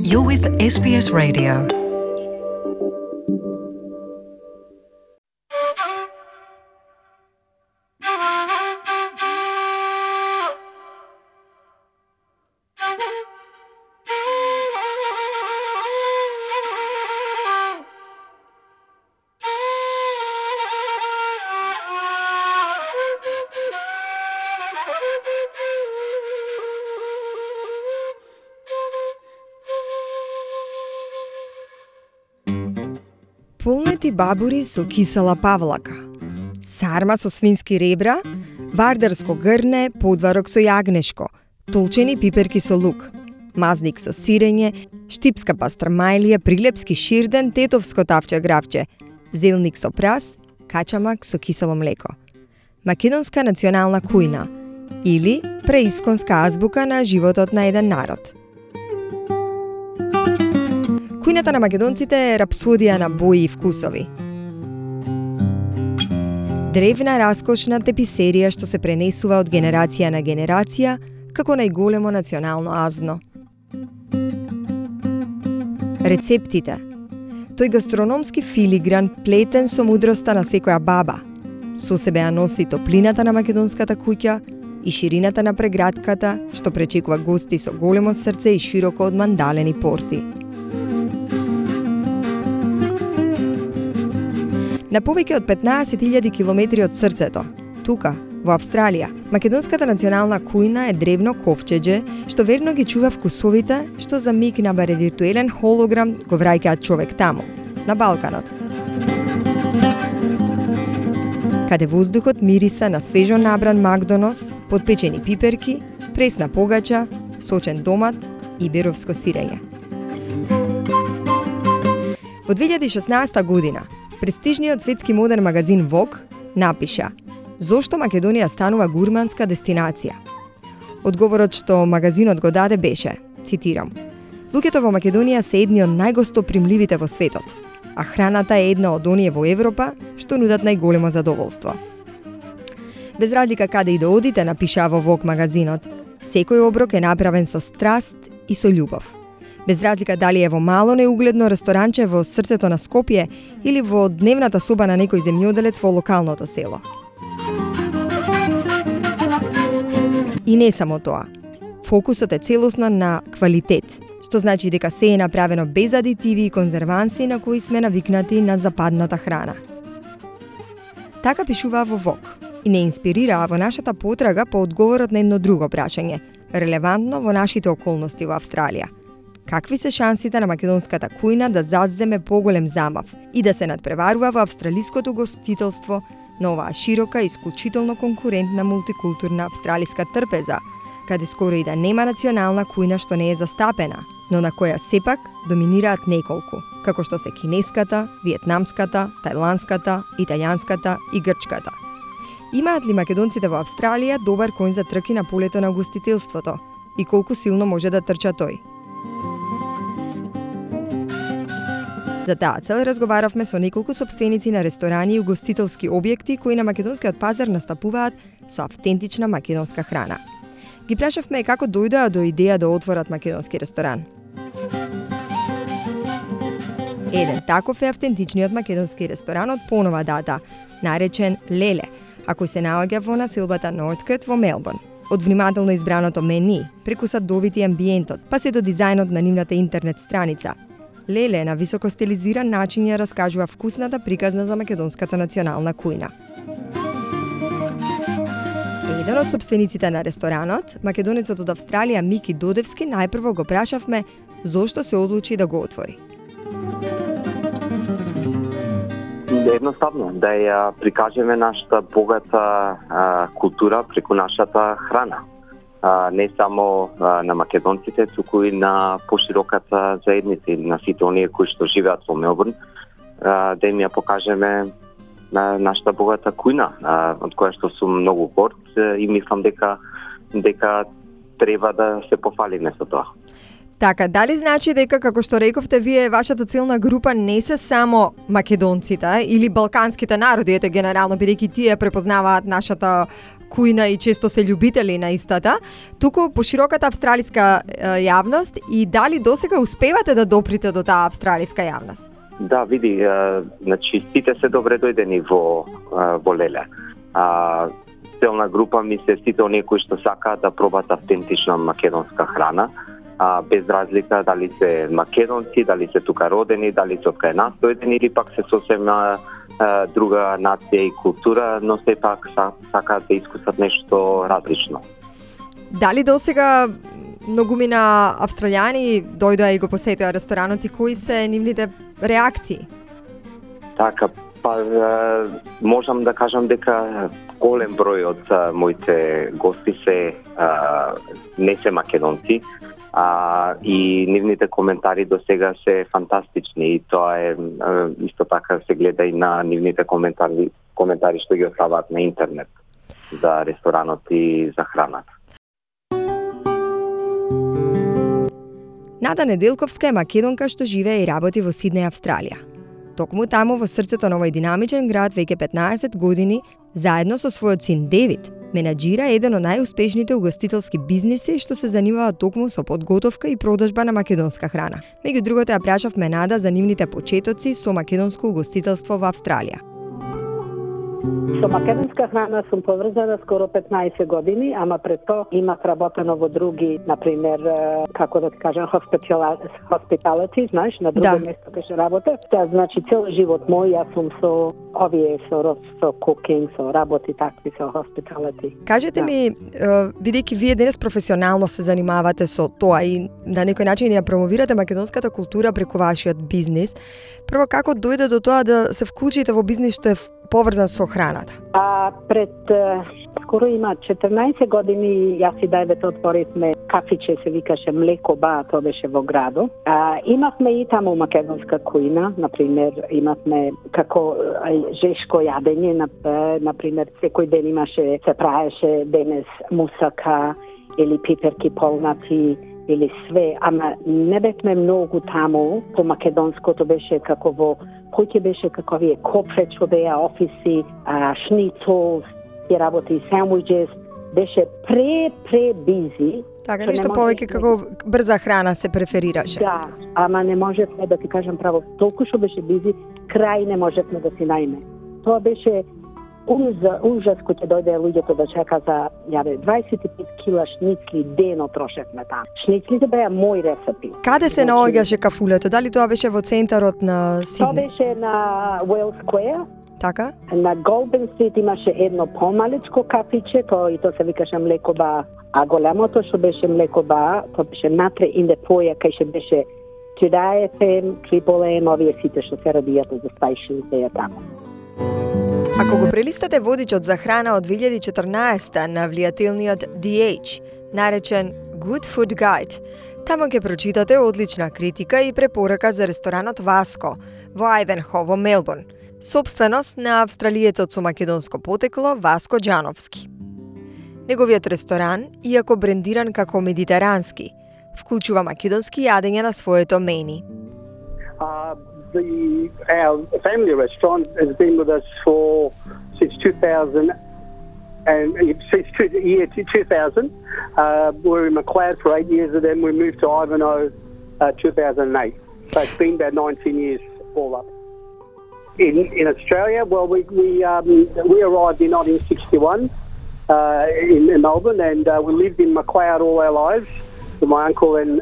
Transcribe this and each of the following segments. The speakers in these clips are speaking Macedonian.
You're with SBS Radio. Полнети бабури со кисела павлака, сарма со свински ребра, вардарско грне, подварок со јагнешко, толчени пиперки со лук, мазник со сирење, штипска пастрмајлија, прилепски ширден, тетовско тавче гравче, зелник со прас, качамак со кисело млеко. Македонска национална кујна или преисконска азбука на животот на еден народ. Кујната на македонците е рапсодија на бои и вкусови. Древна раскошна теписерија што се пренесува од генерација на генерација како најголемо национално азно. Рецептите. Тој гастрономски филигран плетен со мудроста на секоја баба. Со себе ја носи топлината на македонската куќа и ширината на прегратката што пречекува гости со големо срце и широко одмандалени порти. На повеќе од 15.000 километри од срцето, тука, во Австралија, македонската национална кујна е древно ковчеđe што верно ги чува вкусовите што за миг на баре виртуелен холограм го враќаат човек таму, на Балканот. Каде воздухот мириса на свежо набран макдонос, подпечени пиперки, пресна погача, сочен домат и беровско сирење. Во 2016 година, престижниот светски моден магазин Vogue напиша «Зошто Македонија станува гурманска дестинација?» Одговорот што магазинот го даде беше, цитирам, «Луѓето во Македонија се едни од најгостопримливите во светот, а храната е една од оние во Европа што нудат најголемо задоволство». Без разлика каде и да одите, напиша во Vogue магазинот, секој оброк е направен со страст и со љубов. Без разлика дали е во мало неугледно ресторанче во срцето на Скопје или во дневната соба на некој земјоделец во локалното село. И не само тоа. Фокусот е целосно на квалитет, што значи дека се е направено без адитиви и конзерванси на кои сме навикнати на западната храна. Така пишуваа во Vogue и не инспирираа во нашата потрага по одговорот на едно друго прашање, релевантно во нашите околности во Австралија. Какви се шансите на македонската кујна да заземе поголем замав и да се надпреварува во австралиското гостителство на оваа широка и исклучително конкурентна мултикултурна австралиска трпеза, каде скоро и да нема национална кујна што не е застапена, но на која сепак доминираат неколку, како што се кинеската, виетнамската, тајландската, италијанската и грчката. Имаат ли македонците во Австралија добар коњ за трки на полето на гостителството и колку силно може да трча тој? За таа цел разговаравме со неколку сопственици на ресторани и угостителски објекти кои на македонскиот пазар настапуваат со автентична македонска храна. Ги прашавме како дојдоа до идеја да отворат македонски ресторан. Еден таков е автентичниот македонски ресторан од понова дата, наречен Леле, а кој се наоѓа во населбата Норткет во Мелбурн. Од внимателно избраното мени, преку садовите и амбиентот, па се до дизајнот на нивната интернет страница, Леле на високо стилизиран начин ја раскажува вкусната приказна за македонската национална кујна. Еден од сопствениците на ресторанот, македонецот од Австралија Мики Додевски, најпрво го прашавме зошто се одлучи да го отвори. Едноставно, да ја прикажеме нашата богата култура преку нашата храна. Не само на македонците, туку и на пошироката заедница, на сите оние кои што живеат во Мелбурн, да им ја покажеме нашата богата кујна, од која што сум многу горд и мислам дека треба да се пофалиме со тоа. Така, дали значи дека, како што рековте вие, вашата целна група не се само македонците или балканските народи, ете генерално, бидејќи тие препознаваат нашата кујна и често се љубители на истата, туку пошироката австралиска јавност, и дали досега успевате да доприте до таа австралиска јавност? Да, види, значи сите се добре дојдени во Леле. Целна група ми се сите оние кои што сакаат да пробат автентична македонска храна, без разлика дали се македонци, дали се тука родени, дали се од кај нас дојдени или пак се сосем друга нација и култура, но сепак сакаат да искусат нешто различно. Дали досега многумина австралијани дојдоа и го посетија ресторанот и кои се нивните реакции? Така, можам да кажам дека голем број од моите гости не се македонци, и нивните коментари до сега се фантастични, и тоа е исто така се гледа и на нивните коментари што ги оставаат на интернет за ресторанот и за храната. Нада Неделковска е македонка што живее и работи во Сиднеј, Австралија. Токму таму во срцето на овој динамичен град веќе 15 години, заедно со својот син Девид, менаџира еден од најуспешните угостителски бизниси што се занимава токму со подготовка и продажба на македонска храна. Меѓу другото ја прашавме Нада за нивните почетоци со македонско угостителство во Австралија. Со македонска храна сум поврзана скоро 15 години, ама пред тоа имав работено во други, например, како да ти кажам, hospitality, знаеш, на друго место кај работа. Тоа значи цел живот мој јас сум со овие со cooking, со работи такви со hospitality. Кажете ми, бидејќи вие денес професионално се занимавате со тоа и на некој начин ја промовирате македонската култура преку вашиот бизнис, прво како дојде до тоа да се вклучите во бизнис што е поврзан со храната? Пред скоро има 14 години јас и Дајбет отворивме кафиче, се викаше Млеко Ба, тоа беше во градо. Имавме и таму македонска кујна, например, имавме како жешко јадење, например, секој ден имаше, се правеше денес мусака или пиперки полнати, или све, ама не бевме многу таму, по македонското беше како во кој беше како вие копфе што беа офиси, шницол, и работи сандвичес, беше пре бизи. Така, нешто повеќе како брза храна се преферираше. Да, ама не можевме да ти кажам право, толку што беше бизи, крај не можевме да си најме. Тоа беше ужас кој ќе дојде луѓето да чека за 25 кила шницли дено трошевме таму. Шницлите беа мој рецепти. Каде се наоѓаше кафулето? Дали тоа беше во центарот на Сиднеј? Тоа беше на Уелс Сквер. Така? На Голден Стрит имаше едно помалечко кафиче, тоа се викаше Млеко Ба, а големото што беше Млеко Ба, тоа беше натре in the foyer, кај што беше Today FM, Triple M, овие сите што се радијата за stations беа таму. Ако го прелистате водичот за храна од 2014 на влијателниот DH, наречен Good Food Guide, таму ќе прочитате одлична критика и препорака за ресторанот Васко во Ајвенхо во Мелбурн, сопственост на австралиецот со македонско потекло Васко Џановски. Неговиот ресторан, иако брендиран како медитерански, вклучува македонски јадења на своето мени. Our family restaurant has been with us since 2000, and since year 2000. We were in McLeod for 8 years, and then we moved to Ivanhoe 2008. So it's been about 19 years all up. In Australia, well, we arrived in 1961 in Melbourne, and we lived in McLeod all our lives with my uncle and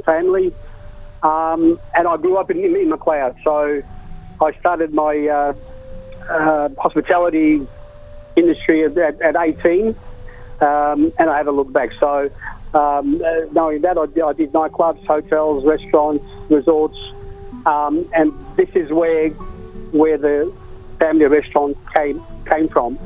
family. And I grew up in McLeod, so I started my hospitality industry at 18, and I haven't looked back. So knowing that, I did nightclubs, hotels, restaurants, resorts, and this is where the family restaurant came from.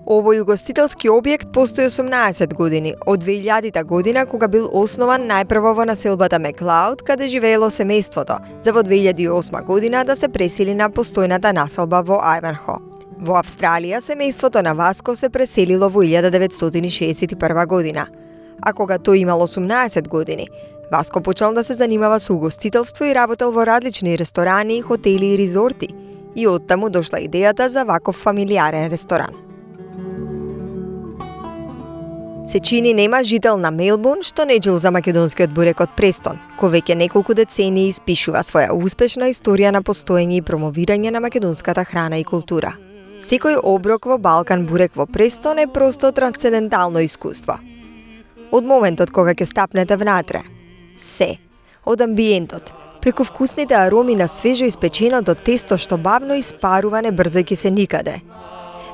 Овој угостителски објект постои 18 години, од 2000 година кога бил основан најпрво во населбата Меклауд, каде живеело семејството, за во 2008 година да се пресели на постојната населба во Ајвенхо. Во Австралија семејството на Васко се преселило во 1961 година, а кога тој имал 18 години, Васко почнал да се занимава со угостителство и работел во различни ресторани, хотели и резорти. И оттаму дошла идејата за ваков фамилиарен ресторан. Се чини нема жител на Мелбурн што не чул за македонскиот бурек од Престон, кој веќе неколку децении испишува своја успешна историја на постоење и промовирање на македонската храна и култура. Секој оброк во Балкан бурек во Престон е просто трансцендентално искуство. Од моментот кога ќе стапнете внатре, се, од амбиентот, преку вкусните ароми на свежо испеченото тесто што бавно испарува не брзајќи се никаде,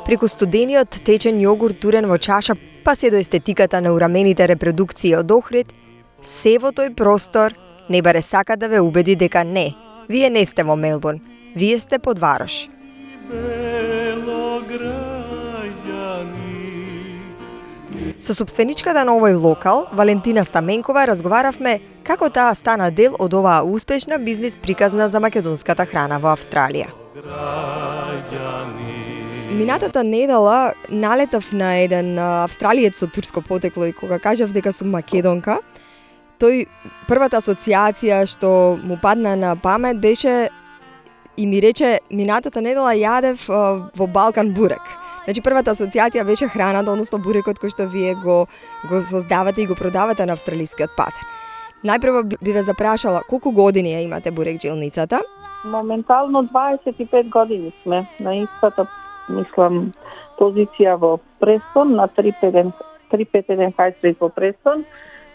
преку студениот течен јогурт турен во чаша, па се до естетиката на урамените репродукции од Охрид, се во тој простор не баре сака да ве убеди дека не, вие не сте во Мелбурн, вие сте под Варош. Со собственичката на овој локал, Валентина Стаменкова, разговаравме како таа стана дел од оваа успешна бизнис приказна за македонската храна во Австралија. Минатата недела налетав на еден австралиец со турско потекло и кога кажав дека сум македонка, тој првата асоциација што му падна на памет беше и ми рече минатата недела јадев во Балкан бурек. Значи првата асоциација беше храната, односно бурекот кој што вие го создавате и го продавате на австралискиот пазар. Најпрво би ве запрашала колку години ја имате бурекџилницата? Моментално 25 години сме на истата, мислам, позиција во Престон, на 351 High Street во Престон.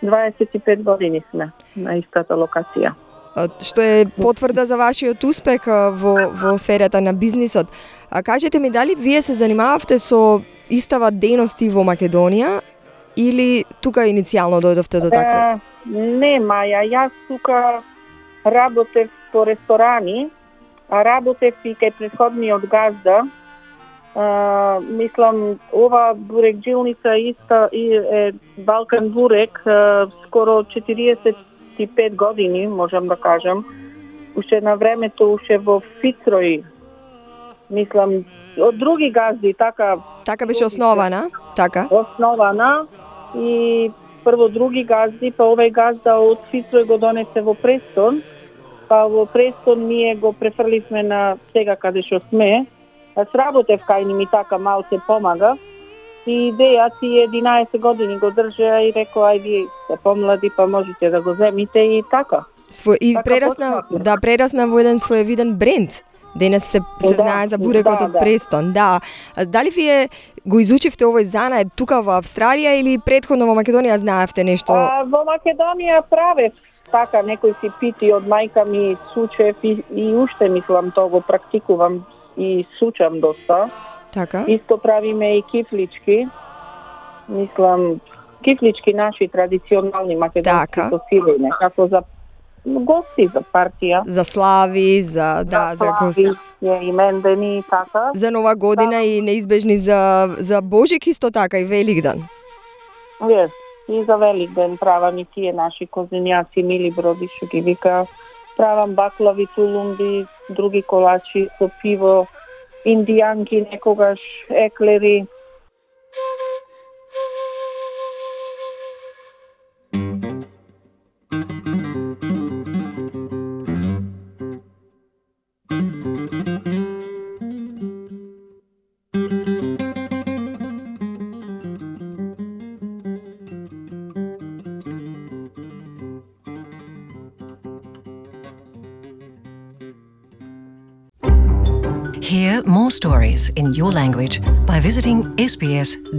25 години сме на истата локација. Што е потврда за вашиот успех во сферата на бизнисот. А кажете ми, дали вие се занимававте со истава дејности во Македонија или тука иницијално дојдовте до такво? Не, Маја, јас тука работев по ресторани, а работев и кај претходниот газда. Мислам, ова бурекџилница иста е Балкан бурек, скоро 45 години, можам да кажам. Уште на времето, уште во Фицрој, мислам, од други газди, така... Така беше основана, така? Основана и прво други газди, па овој газда од Фицрој го донесе во Престон, па во Престон ние го префрливме на сега каде што сме. Аз работев кај ми така малце помага и идеја ти 11 години го држа и рекоа ај вие сте помлади па можете да го земите и така. И така прерасна во еден своевиден бренд. Денес се знае за бурекот од Престон. Да. Дали вие го изучивте овој занает тука во Австралија или претходно во Македонија знаевте нешто? Во Македонија правев така некои си пити од мајка ми сучев и уште мислам тоа го практикувам и сучам доста. Така. Исто правиме и кифлички. Мислам, кифлички наши традиционални македонски со сирење, како за гости, за партија. За слави, за гости. За имендени, така. За Нова година и неизбежни за Божик исто така и Великден. И за Великден правам и тие наши козинјаци, мили броди, што ги вика. Правам баклави, тулумби, други колачи со пиво, индијанки, некогаш еклери. Hear more stories in your language by visiting sbs.com.au.